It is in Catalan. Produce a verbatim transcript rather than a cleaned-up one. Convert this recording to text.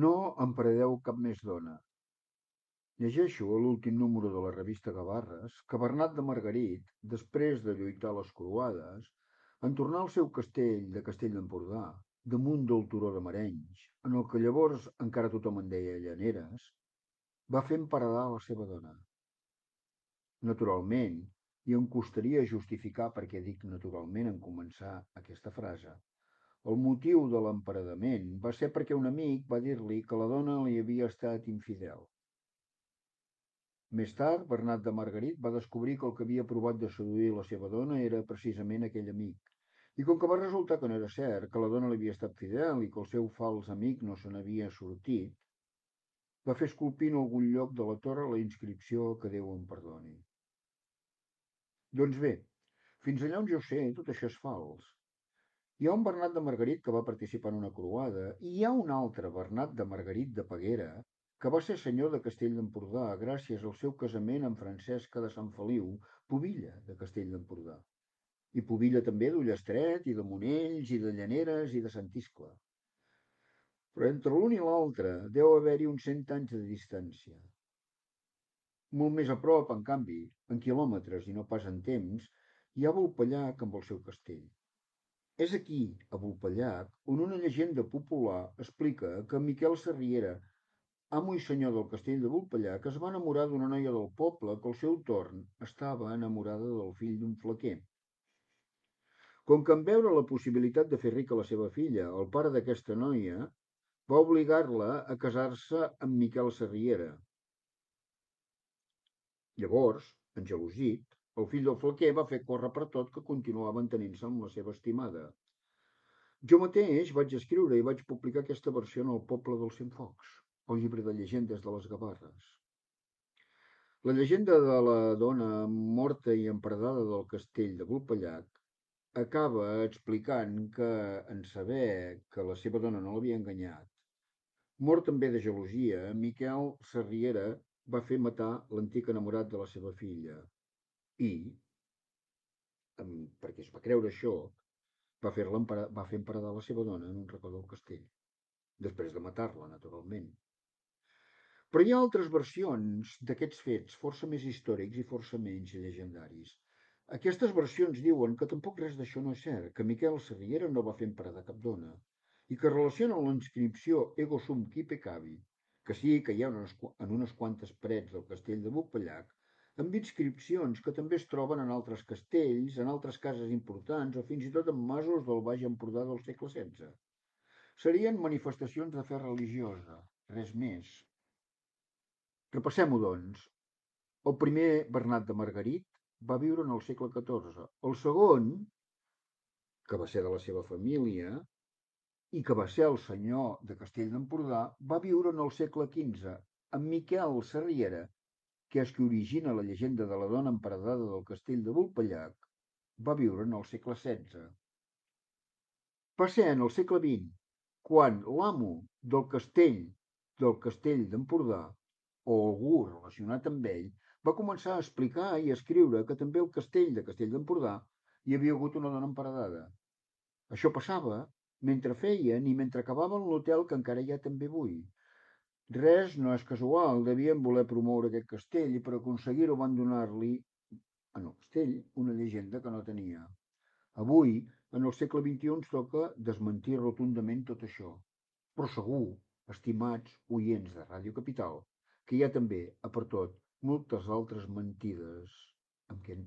No emparedeu cap més dona. Llegeixo a l'últim número de la revista Gavarres que Bernat de Margarit, després de lluitar les croades, en tornar al seu castell de Castell d'Empordà, damunt del turó de Marenys, en el que llavors encara tothom en deia Llaneres, va fer emparedar la seva dona. Naturalment, i em costaria justificar per què dic naturalment en començar aquesta frase. El motiu de l'emparedament va ser perquè un amic va dir-li que la dona li havia estat infidel. Més tard, Bernat de Margarit va descobrir que el que havia provat de seduir la seva dona era precisament aquell amic. I com que va resultar que no era cert, que la dona li havia estat fidel i que el seu fals amic no se n'havia sortit, va fer esculpir en algun lloc de la torre la inscripció que Déu em perdoni. Doncs bé, fins allà on jo sé, tot això és fals. Hi ha un Bernat de Margarit que va participar en una croada i hi ha un altre Bernat de Margarit de Peguera que va ser senyor de Castell d'Empordà gràcies al seu casament amb Francesca de Sant Feliu, pubilla de Castell d'Empordà. I pubilla també d'Ullastret i de Monells i de Llaneres i de Sant Iscle. Però entre l'un i l'altre deu haver-hi uns cent anys de distància. Molt més a prop, en canvi, en quilòmetres i no pas en temps, hi ha Vulpellac amb el seu castell. És aquí, a Vulpellac, on una llegenda popular explica que Miquel Sarriera, amo i senyor del castell de Vulpellac, es va enamorar d'una noia del poble que al seu torn estava enamorada del fill d'un flequer. Com que en veure la possibilitat de fer rica la seva filla, el pare d'aquesta noia va obligar-la a casar-se amb Miquel Sarriera. Llavors, engelosit, el fill del flequer va fer córrer per tot que continuava entenint-se amb la seva estimada. Jo mateix vaig escriure i vaig publicar aquesta versió en el poble dels Cienfocs, el llibre de llegendes de les Gavarres. La llegenda de la dona morta i emparedada del castell de Vulpellac acaba explicant que, en saber que la seva dona no l'havia enganyat, mort també de gelosia, Miquel Sarriera va fer matar l'antic enamorat de la seva filla i, perquè es va creure això, va fer, va fer emparedar la seva dona en un racó del castell, després de matar-la, naturalment. Però hi ha altres versions d'aquests fets, força més històrics i força menys llegendaris. Aquestes versions diuen que tampoc res d'això no és cert, que Miquel Sarriera no va fer emparedar cap dona, i que relacionen la inscripció Ego sum qui peccavi, que sí que hi ha unes, en unes quantes parets del castell de Vulpellac, amb inscripcions que també es troben en altres castells, en altres cases importants o fins i tot en masos del Baix Empordà del segle setze. Serien manifestacions de fe religiosa, res més. Repassem-ho, doncs. El primer, Bernat de Margarit, va viure en el segle catorze. El segon, que va ser de la seva família i que va ser el senyor de Castell d'Empordà, va viure en el segle quinze, amb Miquel Sarriera, que és qui origina la llegenda de la dona emparedada del castell de Vulpellac, va viure en el segle setze. Va ser en el segle vint, quan l'amo del castell del castell d'Empordà, o algú relacionat amb ell, va començar a explicar i a escriure que també al castell de Castell d'Empordà hi havia hagut una dona emparedada. Això passava mentre feien i mentre acabaven l'hotel que encara hi ha també avui. Res no és casual, devien voler promoure aquest castell i per aconseguir-ho van donar-li, en el castell, una llegenda que no tenia. Avui, en el segle vint-i-u, ens toca desmentir rotundament tot això. Però segur, estimats oients de Ràdio Capital, que hi ha també, a per tot, moltes altres mentides amb què